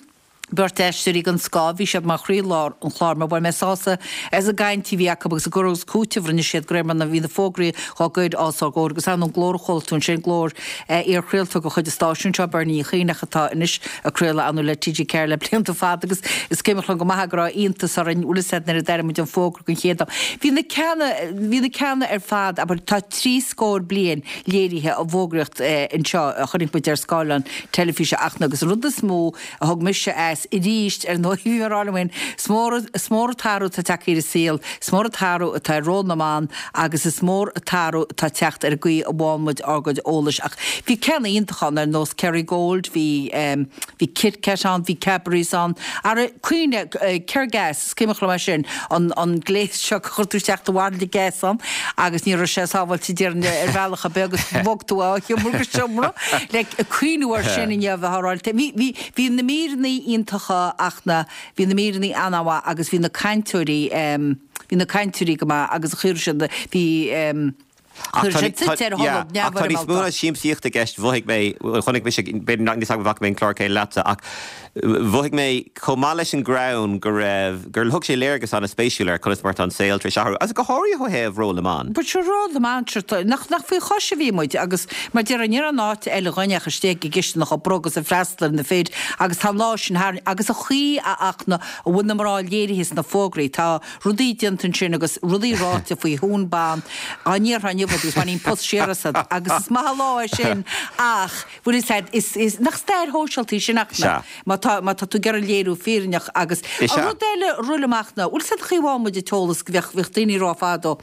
beirt aisteoirí den scoth, bhí siad mar chroílár an chláir mar bhain mé sásamh as an gcaint a bhí acu agus an cur agus cúiteamh a rinne siad de réir mar a bhí na fógraí dhá gcur os ár gcomhair agus ar ndóigh an glór a chuala tú ansin, glór iar-chraoltóir de chuid an stáisiúin seo, Bernie Uí Chuinn ach atá anois ag craoladh ar ndóigh le TG4 le blianta fada agus is cuimhin liom go maith go raibh iontas orainn, bhfuil fhios a'd, nuair a d'airigh muid an fógra den chéad am. Bhí na ceanna, bhí na ceanna ar fad, abair, tá 30 scór bliain léirithe i bhfógraíocht anseo a chonaic muid ar scáileán teilifíse ach agus an rud is mó a thug mise as arís, ar ndóigh, bhí mé ag rá liom féin, is mór, is mór an t-athrú atá tagtha ar an saol, is mór an t-athrú atá ar ról na mban agus is mór an t-athrú atá ag teacht ar an gcaoi a bhfaigheann muid ár gcuid eolais. Ach bhí ceanna iontacha ann ar nós Kerrygold, bhí, bhí Kit Kat ann, bhí Cadbury's ann. Ara, cuimhnigh, Kergas, is cuimhin liom é sin, an, an gléas seo go chuir tú isteach do bhairille gas ann agus ní raibh sé sábháilte déarfainn ar bhealach ar bith agus bhog tú ó sheomra go seomra le cuimhniú air sin inniu a bheith á rá. Bhí, bhí, bhí na míreanna iontacha ach na, bhí na míreanna an-mhaith agus bhí na cainteoirí, bhí na cainteoirí go maith agus chuir siad, bhí, Ach tá níos mó ná siamsaíocht i gceist, mhothaigh mé, chonaic mise, b'fhéidir nach, níl 's agam an bhfaca mé an clár céanna leatsa, ach mhothaigh mé chomh maith leis an greann go raibh, gur thug sé léargas an-spéisiúil ar conas mar atá an saol tar éis athrú, agus go háirithe ó thaobh ról na mban. But sure ról na mban, sure, nach, nach faoi chois a bhí muid agus mar déarfá ní raibh aon áit eile dhúinn ach istigh i gcisteanach ag broghadh agus ag freastal ar na fir agus tá an lá sin tharainn agus an chaoi a fhaca a bhfuil na mná léirithe sna fógraí, tá rudaí déanta ansin agus rudaí ráite faoi thún ban dá ndéarfá inniu iad agus bhainfí an pus siar asat agus is maith an lá é sin ach bhfuil fhios a'd is is nach stair shóisialta í sin ach na má tá má tá tú ag iarraidh léiriú fírinneach agus Is an rud eile a rith liom ach ná bhfuil fhios a'd an chaoi a bhfaigheann muid an t-eolas go bheadh bheadh daoine ag rá fadó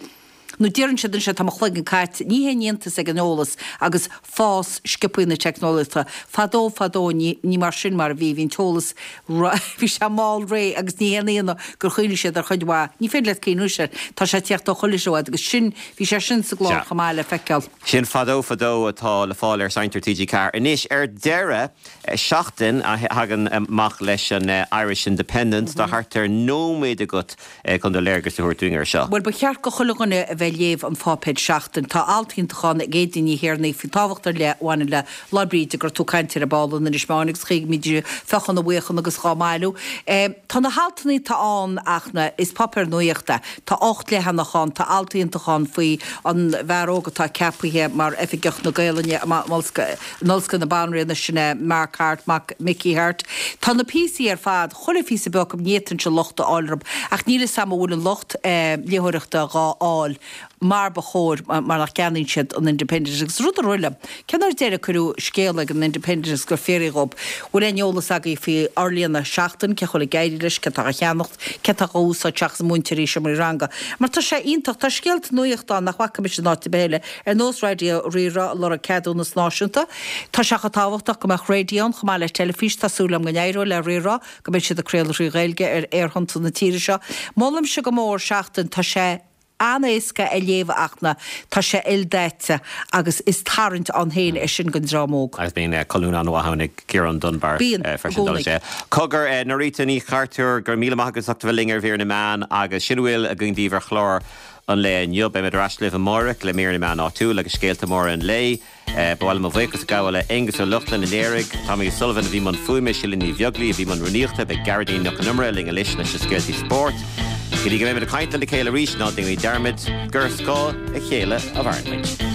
nó deireann siad anseo tá mo chloigeann caite ní haon iontas ag an eolas agus fás sciobthaí na teicneolaíochta. Fadó, fadó, ní, ní mar sin mar a bhí, bhí an t-eolas, bhí sé mall réidh agus ní haon ionadh gur chuimhnigh siad ar chuid mhaith. Ní féidir leat cuimhniú air, tá sé ag tíocht ó chuile threo agus sin, bhí sé sin sa gclár chomh maith le feiceáil. Sin Fadó Fadó atá le fáil ar Seinnteoir TG4. Anois, ar deireadh, Seachtain a thagann amach leis an Irish Independent, tá thart ar nóiméad agat chun do léargas a thabhairt dúinn air seo. Bhuel, ba cheart go chuile dhuine a bheith ag léamh an pháipéir Seachtain. Tá alt iontach ann ag Aedín Ní Thiarnaigh faoin tábhacht ar leith a bhaineann le Lá Bríde go raibh tú ag caint air ar ball in Inis Meáin agus chaoi go mbídís ag feochadh na bhfaochán agus dhá mbailiú. Tá na haltanna atá ann ach na, is páipéar nuachta é. Tá 8 leathanach ann, tá alt iontach ann faoi an bhfear óg atá ceapaithe mar Oifigeach na Gaelainne in Ollscoil na Banríona, sin é Mark Harte, mac Mickey Harte. Tá na píosaí ar fad. Chuile phíosa beag acu, ní fhéadfainnse locht a fháil orthu, ach níl 'fhios a'm an bhfuil an lucht léitheoireachta dhá fháil mar ba chóir mar nach gceannaíonn siad an Independent. Agus rud a rith liom, cén uair deiridh a cuireadh scéala ag an Independent agus gur fiafraíodh dhób, bhfuil aon eolas agaibh faoi fhorlíonadh Seachtain, cén chaoi a bhfuil ag éirí leis, cé atá á cheannacht, cé atá dhá úsáid seachas múinteoirí seomraí ranga. Mar tá sé iontach, tá scéalta nuachta ann nach bhfaca mise in áit ar bith eile, ar nós Raidió Rí-Rá ag lorg ceadúnas náisiúnta. Tá sé chomh tábhachtach go mbeadh raidió ann chomh maith le teilifís. Tá súil agam go n-éireoidh le Rí-Rá, go mbeidh siad ag craoladh trí Ghaeilge ar aerthonnta na tíre seo. Molaimse go mór Seachtain, tá sé an-éasca a léamh ach na, tá sé ildaite agus is tarraingt ann féin é sin don dream óg. Agus bíonn colún an-mhaith ann ag Ciarán Dunbar Bíonn, i freisin. gcónaí. Sé. Cogar, Norita Ní Chartúir, go raibh míle maith agat as ucht a bheith linn ar Mhír na Meán agus sin a bhfuil againn daoibh ar chlár an lae inniu. Beimid ar ais libh amárach le Mír na Meán Áitiúil agus scéalta móra an lae. Ba mhaith liom mo bhuíochas a ghabháil le Aengus Ó Lochlainn i Léirigh, Tommy O'Sullivan a bhí i mbun fuaime, Síle Ní Bheaglaoí a bhí i mbun rúnaíochta, beidh Gearóidín Nic Con Iomaire linn anois leis na scéaltaí spóirt. Go dtí go mbeimid ag caint lena chéile arís, ná déanaimid dearmad gur ar scáth a chéile a mhaireann muid.